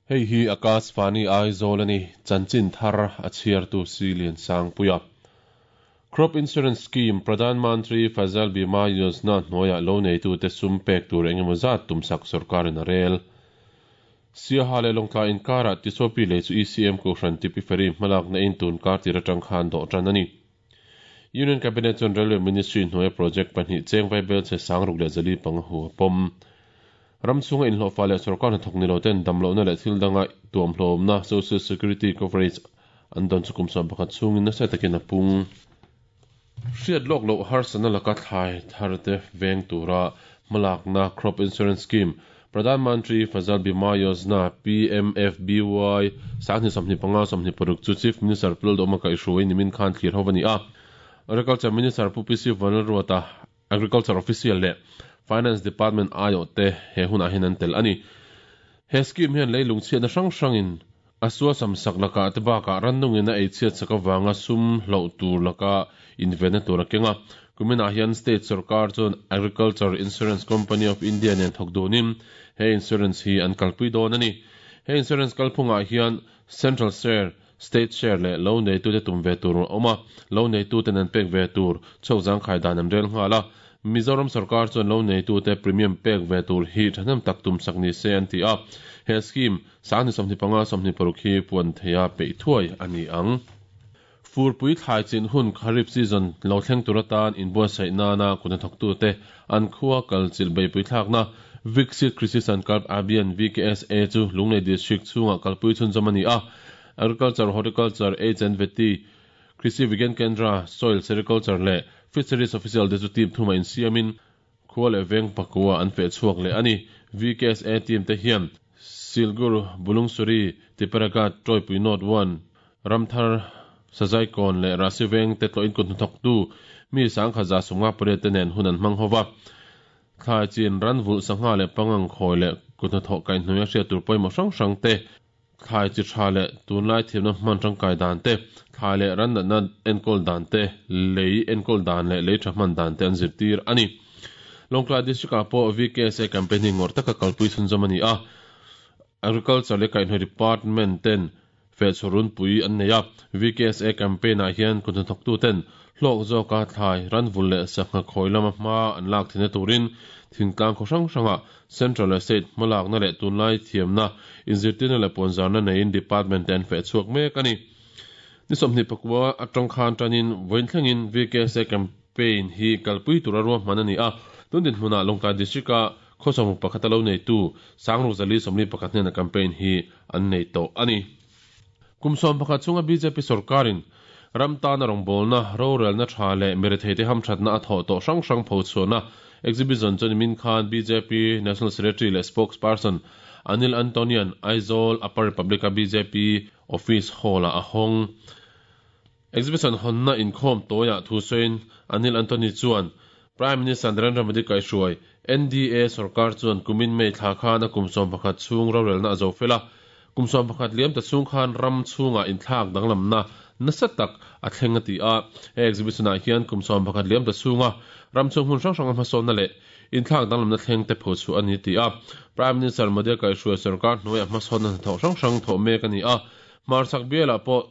Hei hi Akashvani Aizawl a ni, chanchin thar a chhiartu Silian Sangpuia. Crop Insurance Scheme, Pradhan Mantri Fasal Bima Yojana hnuaiah lo neitute sum pek tur engemaw zat tumsak sorkarin a rel. Siaha leh Lawngtlai inkarah Tisopi lei chu ECM Kohhran Tipi Ferry hmalakna in tun kar tir atang khan dawh tan a ni. Union Cabinet chuan Railway Ministry hnuaia project pahnih cheng vaibel chhe 6405 hu a pawm. Ram chhunga inhlawhfa leh sorkar hnathawk ni lo ten damlohna leh thil danga tuamhlawmna, social security coverage, an dawn chu kum 11 chhungin nasa takin a pung. Hriat lawk loh harsatna laka thlai thar te veng tura hmalakna Crop Insurance Scheme, Pradhan Mantri Fasal Bima Yojana, PMFBY, 2025 26 chu Chief Minister Pu Lalduhoma kaihhruai nimin khan thlir ho a ni a. Agriculture Minister Pu PC Vanlalruata, Agriculture Official leh Finance Department aiawh te he hunah hian an tel a ni. He scheme hian leilung chhiatna hrang hrangin a suasam sak lakah te bakah rannungin a ei chhiat sak avanga sum hloh tur laka invenna tur a keng a. Kuminah hian state sorkar chuan Agriculture Insurance Company of India nen thawk dunin he insurance hi an kalpui dawn a ni. He insurance kalphungah hian Central Share, State Share leh lo neitute tum ve tur a awm a, lo neituten an pek ve tur chhuak zangkhai dan an rel nghal a. Mizoram sorkar chuan lo neitute premium pek ve tur hi thahnem tak tum sak ni se an ti a. He scheme 2025 26 hi puan theia peih thuai a ni ang. Furpui thlai chin hun Kharif season lo thleng tur atan inbuatsaih nana kut hnathawktute an khua kal chilh beihpui thlakna Viksit Krishi Sankalp Abhiyan, VKSA, chu Lunglei District chhungah kalpui chhunzawm a ni a. Agriculture, Horticulture, Aids and Vety, Krishi Vigyan Kendra, Soil, Sericulture leh Fisheries official te chu team thumah insiamin Khua leh veng pakua an feh chhuak leh a ni. VKSA team te hian Silgur, Bulungsuri, Tipperaghat, Tawipui North One, Ramthar, Sazaikawn leh Rahsi veng te tlawhin kut hnathawktu mi 1158 te nen hun an hmang ho va. Thlai chin, ranvulh, sangha leh pangang khawi leh kut hnathawh kaihhnuaia hriat tur pawimawh hrang hrang te Thlai chi tha leh tunlai thiamna hman tangkai dan te, thlai leh ran natna enkawl dan te, lei enkawl dan leh lei tha hman dan te an zirtir a ni. Lawngtlai District-ah pawh VKSA campaign hi ngawrh taka kalpui chhunzawm a ni a, Agriculture leh Kaihhnawih Department ten fehchhuah runpui an nei a, VKSA campaign-ah hian kut hnathawktuten Hlawk zawka thlai, ranvul leh sangha khawi lama hma an lak theihna turin thingtlang khaw hrang hrangah Central leh State hmalakna leh tunlai thiamna, inzirtirna leh puanzarna neiin Department te an feh chhuak mek a ni. Ni 24 atang khan tanin vawiin thlengin VKSA campaign hi kalpui tura ruahman a ni a, tun dinhmunah Lawngtlai District-a khaw sawmruk pakhata lo neitu Sangruk Zali 41 hnena campaign hi an nei tawh a ni. Kum 11 chhunga bjp sorkarin ram tana rawngbawlna, rorelna tha leh miretheite hamthatna a thawh tawh hrang hrang phochhuahna exhibition chu nimin khan bjp National Secretary leh Spokesperson Anil Antonian Aizawl Upper Republic-a bjp Office Hall-ah a hawng. Exhibition hawnna inkhawm tawiah thu sawiin Anil Antony chuan, Prime Minister Narendra Modi kaihhruai NDA sorkar chuan kumin May thla khan a kum 11 chhung rorelna a zo fel a. Kum 11 liam ta chhung khan ram chhungah inthlak danglamna nasa tak a thleng a ti a. He exhibition-ah hian kum 11 liam ta chhunga ram chhung hmun hrang hranga hmasawnna leh inthlak danglamna thleng te pho chhuah a ni ti a. Prime Minister Modi kaihhruai sorkar hnuaiah hmasawnna hnathawh hrang hrang thawh mek a ni a. Hmarchhak bialah pawh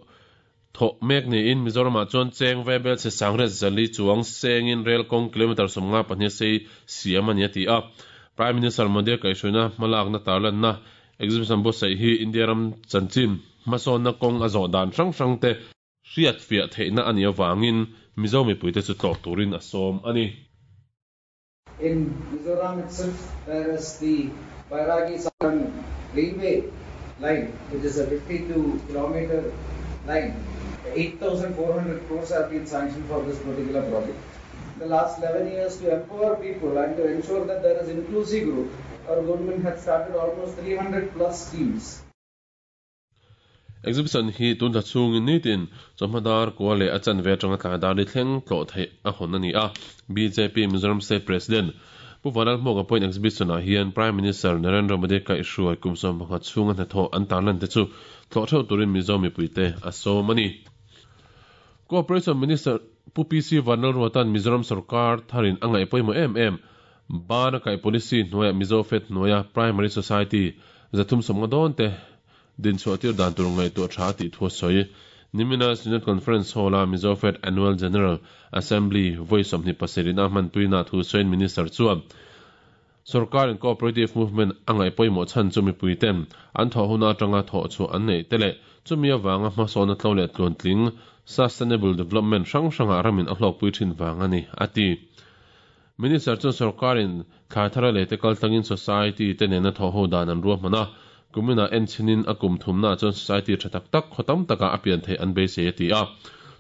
Thawh mek niin Mizoramah chuan cheng vaibel chhe sangriat zali chuang sengin rel kawng kilometre 52 sei siam a ni a ti a. Prime Minister Modi kaihhruaina hmalakna tarlanna exhibition buatsaih hi India ram chanchin hmasawnna kawng a zawh dan hrang hrang te hriatfiah theihna a nih avangin Mizo mipuite chu tlawh turin a sawm a ni. In Mizoram itself there is the Bairagi Saran railway line which is a 52 kilometer line. 8,400 crores have been sanctioned for this particular project. The last 11 years to empower people and to ensure that there is inclusive growth, our government has started almost 300 plus schemes. Exhibition hi tun thla chhungin nitin chawhma dar kua leh a chanve atanga tlai dar ni thleng tlawh theih a hawn a ni a. Bjp Mizoram State President Pu Vanlalhmuaka pawhin exhibition ah hian Prime Minister Narendra Modi kaihhruai kum 11 chhunga hnathawh an tarlan te chu tlawh theuh turin Mizo mipuite a sawm a ni. Cooperation Minister Pu PC Vanlalruata'n Mizoram sorkar tharin a ngaih pawimawh em em Bana kaih policy hnuaiah Mizo Fed hnuaia Primary Society 350 dawn te. dinchhuah tir dan tur ngaihtuah tha a tih thu a sawi. Nimina Synod Conference Hall-a Mizofed Annual General Assembly vawi 27 a hmanpuina thu sawiin Minister chuan Sorkarin Cooperative Movement a ngaih pawimawh chhan chu mipuiten an thawh huna atanga thawh chhuah an neih te leh chumi avanga hmasawna tlo leh tluantling, sustainable development, hrang hrangah ramin a hlawkpui thin vang a ni, a ti. Minister chuan sorkarin thlai thar a lei te kaltlangin society te nena thawh ho dan an ruahman a, kuminah enchhinin a kum thumnaah chuan society tha tak tak khaw tam takah a pian theih an beisei a ti a.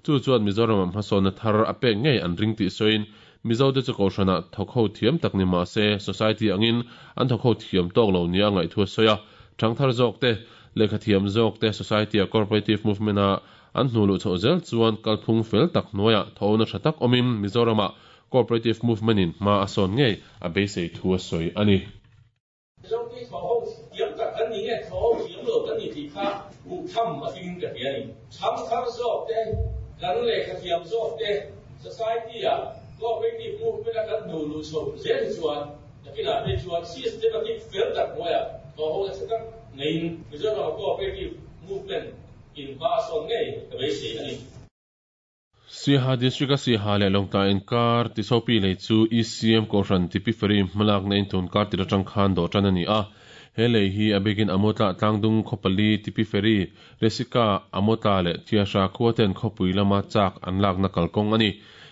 Chu chuan Mizoramah hmasawnna thar a pek ngei an ring tih sawiin Mizote chu kohhranah thawk ho thiam tak ni mah se society angin an thawk ho thiam tawk lo nia ngaih thu a sawi a. Thangthar zawk te, lehkha thiam zawk te society-a cooperative movement-a an hnu luh chhoh zel chuan kalphung fel tak hnuaiah thawhna tha tak awmin Mizoramah cooperative movement-in hma a sawn ngei a beisei thu a sawi a ni. Mizote thawh ho thiam tak kan ni nge thawh ho thiam lo kan ni tih kha hmuh tham a tling ka ti a ni. Thangthar zawk te, kan lehkha thiam zawk te, society-a cooperative movement-a kan hnu luh chhoh zel hi chuan nakinah phei chuan systematic fel tak hnuaiah thawh ho nasa tak neiin Mizoram-a cooperative movement in hma a sawn ngei ka beisei a ni. Siaha District-a Siaha leh Lawngtlai inkar Tisopi lei chu ECM Kohhran Tipi Ferry hmalakna in tun kar tir atang khan dawh tan a ni a. He lei hi a bikin Amawtla tlangdung khawpali Tipi Ferry, Resika, Amawtla leh Thiahra khua ten khawpui lama chak an lakna kalkawng a ni.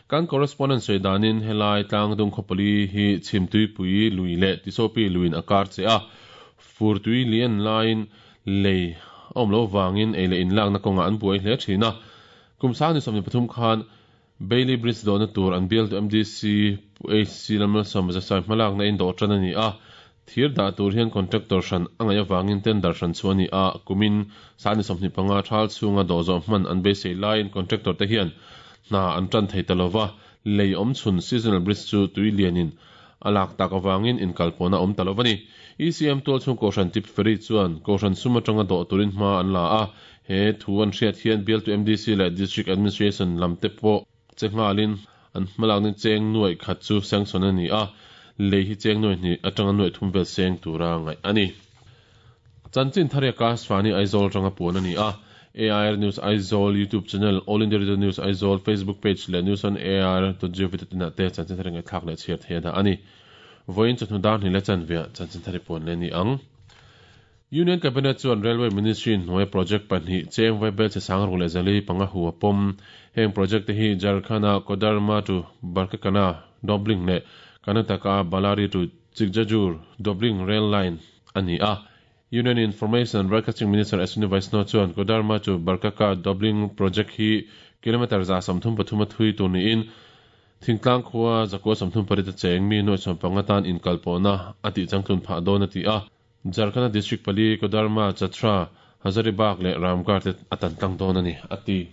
Kan correspondent sawi danin helai tlangdung khawpali hi Chhimtuipui lui leh Tisopi luiin a kar che a. Furtui lian laiin lei a awm loh vangin ei leh inlakna kawngah an buai hle thin a. Kum 2023 khan Bailey Bridge dawhna tur an bialtu MDC Pu HC Lalmalsawma Zasai hmalakna in dawh tan a ni a, thir dah tur hian contractor hran a ngaih avangin tender hran chu a ni a, kumin 2025 thal chhunga dawh zawh hman an beisei laiin contractor te hian hna an tan thei ta lova, lei awm chhun seasonal bridge chu tui lianin a lak tak avangin inkalpawhna a awm ta lo a ni. ECM tualchhung Kohhran Tip Ferry chuan Kohhran sum atanga dawh turin hma an la a, he thu an hriat hian bialtu MDC leh District Administration lam te pawh che nghalin an hmalakna cheng nuaih khat chu sanction a ni a, lei hi cheng nuaih hnih atanga nuaih thum vel seng tura ngaih a ni. Chanchin thar hi Akashvani Aizawl atanga puan a ni a, AIR News Aizawl YouTube channel, All India Radio News Aizawl Facebook page leh News on AIR dot gov dot in ah te chanchin thar hi ngaihthlak leh chhiar theih a dah a ni. Vawiin chawhnu dar hnih leh chanveah chanchin thar hi puan leh a ni ang. Union Cabinet chuan Railway Ministry hnuaia project pahnih cheng vaibel che sang ruk leh zali panga hu a pawm. Heng project te hi Jharkhand-a Koderma to Barkakana doubling leh Karnataka-a Ballari to Chikjajur doubling rail line a ni a. Union Information and Broadcasting Minister Ashwini Vaishnaw chuan Koderma to Barkaka doubling project hi kilometre 133 a thui tur niin Thingtlang khua 138 a cheng mi 75 tan inkalpawhna a tihchangtlun phah dawn a ti a. Jharkhand-a district pali Koderma, Chatra, Hazaribagh leh Ramgarh te a tan tlang dawn a ni, a ti.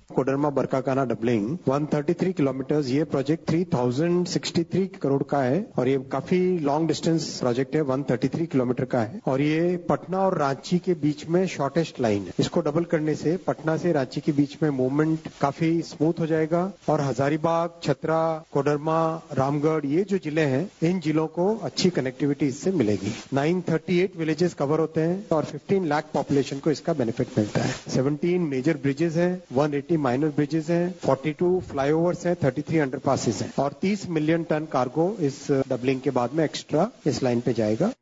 Koderma Barkakana doubling 133 kilometres ये प्रोजेक्ट 3063 करोड़ का है और ये काफी long distance project है 133 kilometre का है और ये पटना और रांची के बीच में शॉर्टेस्ट लाइन है। इसको डबल करने से पटना से रांची के बीच में मूवमेंट काफी स्मूथ हो जाएगा और हजारीबाग, छतरा, कोडरमा, रामगढ़ ये जो जिले हैं इन जिलों को अच्छी कनेक्टिविटी इससे मिलेगी। 938 विलेजेस कवर होते हैं और 15 लाख पॉपुलेशन को इसका बेनिफिट मिलता है। 17 मेजर ब्रिजेस हैं, 180 माइनर ब्रिजेस हैं, 42 फ्लाईओवर्स हैं, 33 अंडरपासेस हैं और 30 million ton cargo इस डबलिंग के बाद में एक्स्ट्रा इस लाइन पे जाएगा।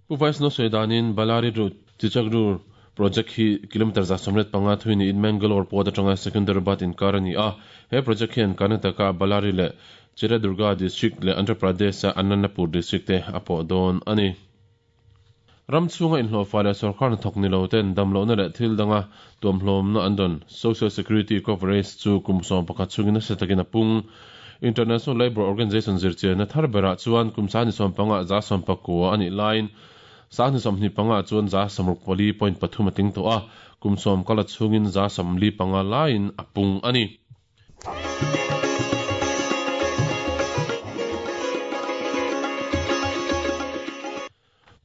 Pu Vaishnaw sawi danin Ballari to Chichakdur project hi kilometre 185 thui niin Mangalore port atanga Secunderabad inkar a ni a. He project hian Karnataka Ballari leh Chitradurga district leh Andhra Pradesh-a Anantapur district te a pawh dawn a ni. Ram chhunga inhlawhfa leh sorkar hnathawk ni lo ten damlohna leh thil danga tuamhlawmna an dawn Social Security coverage chu kum 11 chhungin nasa takin a pung. International Labour Organization zirchianna thar berah chuan kum 15 119 a nih laiin 25 chuan 64.3 a tling tawh a, kum 10 kala chhungin 45 laiin a pung a ni.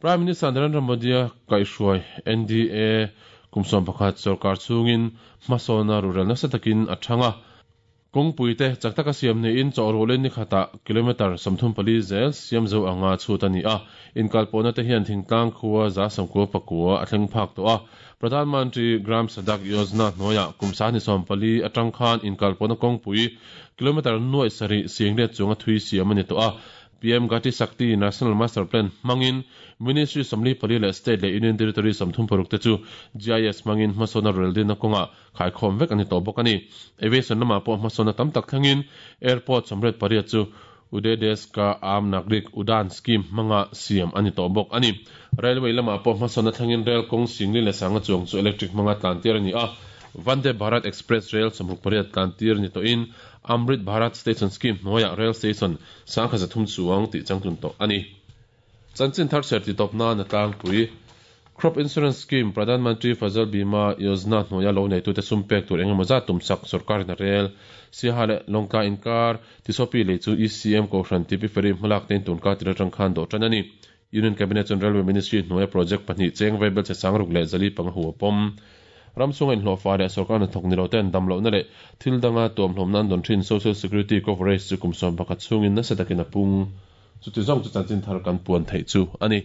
Prime Minister Narendra Modi-a kaihhruai NDA kum 11 sorkar chhungin hmasawna rural nasa takin a thang a. Kawngpui te chak taka siam niin chawhrualin ni khatah kilometre 34 zel siam zo anga chhut a ni a. Inkalpawhna te hian thingtlang khua 99 a thleng phak tawh a. Pradhan Mantri Gram Sadak Yojana hnuaiah kum 24 atang khan inkalpawhna kawngpui kilometre nuaih sarih singlet chunga thui siam a ni tawh a. PM Gati Shakti National Master Plan hmangin Ministry 44 leh State leh Union Territory 36 te chu GIS hmangin hmasawnna rel dinna kawngah khaikhawm vek a ni tawh bawk a ni. Aviation lamah pawh hmasawnna tam tak thlengin Airport 88 chu Ude Desh Ka Aam Nagrik Udan Scheme hmanga siam a ni tawh bawk a ni. Railway lamah pawh hmasawnna thlengin rail kawng singli leh sanga chuang chu electric hmanga tlantir a ni a. Vande Bharat Express Rail 68 tlantir ni tawhin Amrit Bharat Station Scheme hnuaiah rail station 1300 chuang tih changtlun tawh a ni. Chanchin thar chhiar titawp nan a tlangpui. Crop Insurance Scheme, Pradhan Mantri Fasal Bima Yojana hnuaia lo neitute sum pek tur engemaw zat tumsak sorkarin a rel. Siaha leh Lawngtlai inkar Tisopi lei chu ECM Kohhran TP Ferry hmalak tein tunka tir atang khan dawh tan a ni. Union Cabinet chuan Railway Ministry hnuaia project pahnih cheng vaibel che sangruk leh zali panga hu a pawm. Ram chhunga inhlawhfa leh sorkar hnathawk ni lo ten damlohna leh thil danga tuamhlawmna an dawn thin Social Security coverage chu kum 11 chhungin nasa takin a pung. Chuti zawng chu chanchin thar kan puan theih chu a ni.